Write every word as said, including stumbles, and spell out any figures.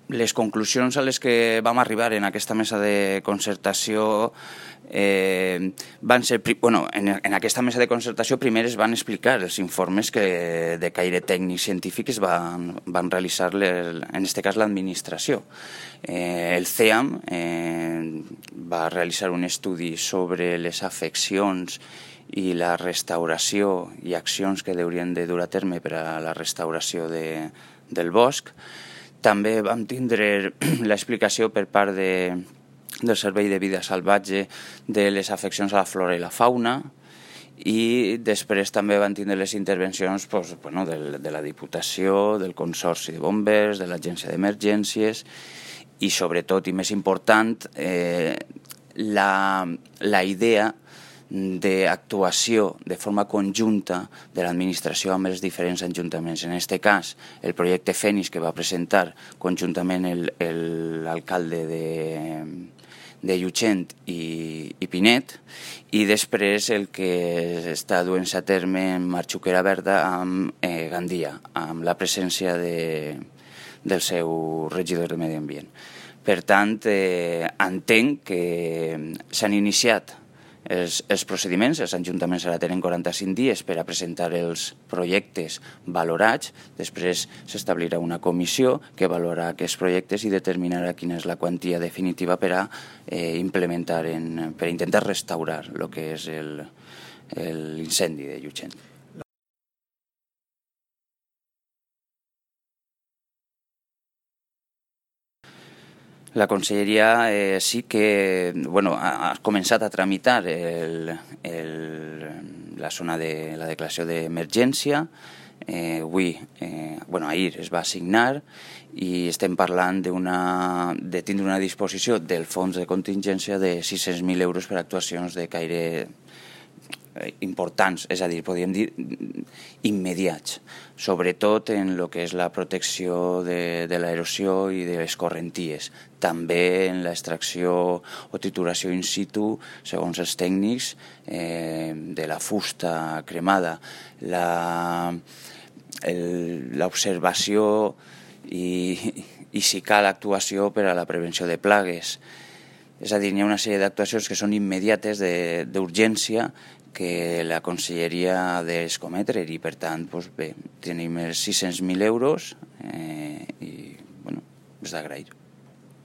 les conclusions a les que vam arribar en aquesta mesa de concertació eh, van ser... Bueno, en, en aquesta mesa de concertació primer es van explicar els informes que de caire tècnic científic es van, van realitzar, les, en aquest cas, l'administració. Eh, el C E A M eh, va realitzar un estudi sobre les afeccions i la restauració i accions que haurien de dur a terme per a la restauració de, del bosc. També vam tindre l'explicació per part de, del Servei de Vida Salvatge de les afeccions a la flora i la fauna, i després també van tindre les intervencions pues, bueno, de, de la Diputació, del Consorci de Bombers, de l'Agència d'Emergències i, sobretot, i més important, eh, la, la idea d'actuació de forma conjunta de l'administració amb els diferents ajuntaments. En aquest cas, el projecte Fènix, que va presentar conjuntament l'alcalde de, de Llutxent i, i Pinet, i després el que està duent-se a terme en Marxuquera Verda amb eh, Gandia, amb la presència de, del seu regidor de Medi Ambient. Per tant, eh, entenc que s'han iniciat Els, els procediments. Els ajuntaments ara tenen quaranta-cinc dies per a presentar els projectes valorats. Després s'establirà una comissió que valorarà aquests projectes i determinarà quina és la quantia definitiva per a eh, implementar, en, per a intentar restaurar el que és l'incendi de Llutxent. La conselleria eh, sí que bueno, ha, ha començat a tramitar el, el, la zona de la declaració d'emergència. Eh, avui, eh, bueno, ahir es va assignar i estem parlant de tindre una disposició del fons de contingència de sis-cents mil euros per a actuacions de caire importants, és a dir, podríem dir immediats, sobretot en el que és la protecció de, de l'erosió i de les correnties, també en l'extracció o trituració in situ, segons els tècnics, eh, de la fusta cremada, l'observació i, i si cal actuació per a la prevenció de plagues. És a dir, hi ha una sèrie d'actuacions que són immediates, d'urgència, que la conselleria ha d'escometre i, per tant, doncs bé, tenim els sis-cents mil euros eh, i, bueno, és d'agrair.